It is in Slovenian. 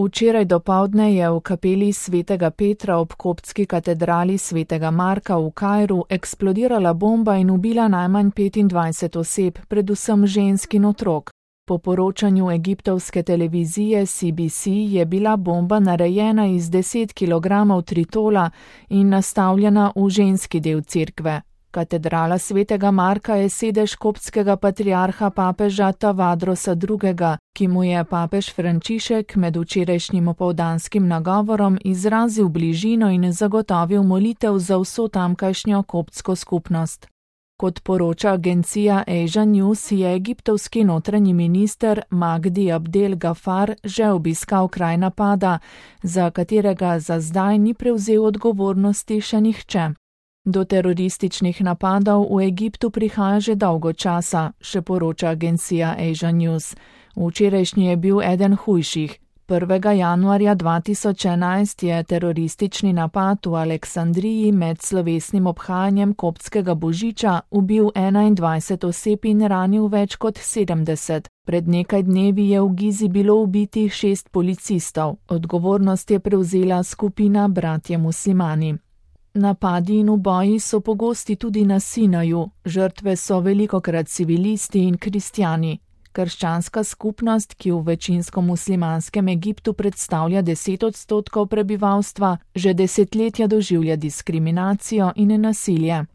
Včeraj dopoldne je v kapeli svetega Petra ob koptski katedrali svetega Marka v Kairu eksplodirala bomba in ubila najmanj 25 oseb, predvsem žensk in otrok. Po poročanju egiptovske televizije CBC je bila bomba narejena iz 10 kg tritola in nastavljena v ženski del cerkve. Katedrala svetega Marka je sedež koptskega patriarha papeža Tavadrosa II., ki mu je papež Frančišek med včerajšnjim opoldanskim nagovorom izrazil bližino in zagotovil molitev za vso tamkajšnjo koptsko skupnost. Kot poroča agencija Asia News, je egiptovski notranji minister Magdi Abdel Gafar že obiskal kraj napada, za katerega za zdaj ni prevzel odgovornosti še nihče. Do terorističnih napadov v Egiptu prihaja že dolgo časa, še poroča agencija Asia News. Včerajšnji je bil eden hujših. 1. januarja 2011 je teroristični napad v Aleksandriji med slovesnim obhajanjem koptskega božiča ubil 21 oseb in ranil več kot 70. Pred nekaj dnevi je v Gizi bilo ubitih 6 policistov. Odgovornost je prevzela skupina Bratje muslimani. Napadi in uboji so pogosti tudi na Sinaju, žrtve so velikokrat civilisti in kristjani. Krščanska skupnost, ki v večinsko muslimanskem Egiptu predstavlja 10% prebivalstva, že desetletja doživlja diskriminacijo in nasilje.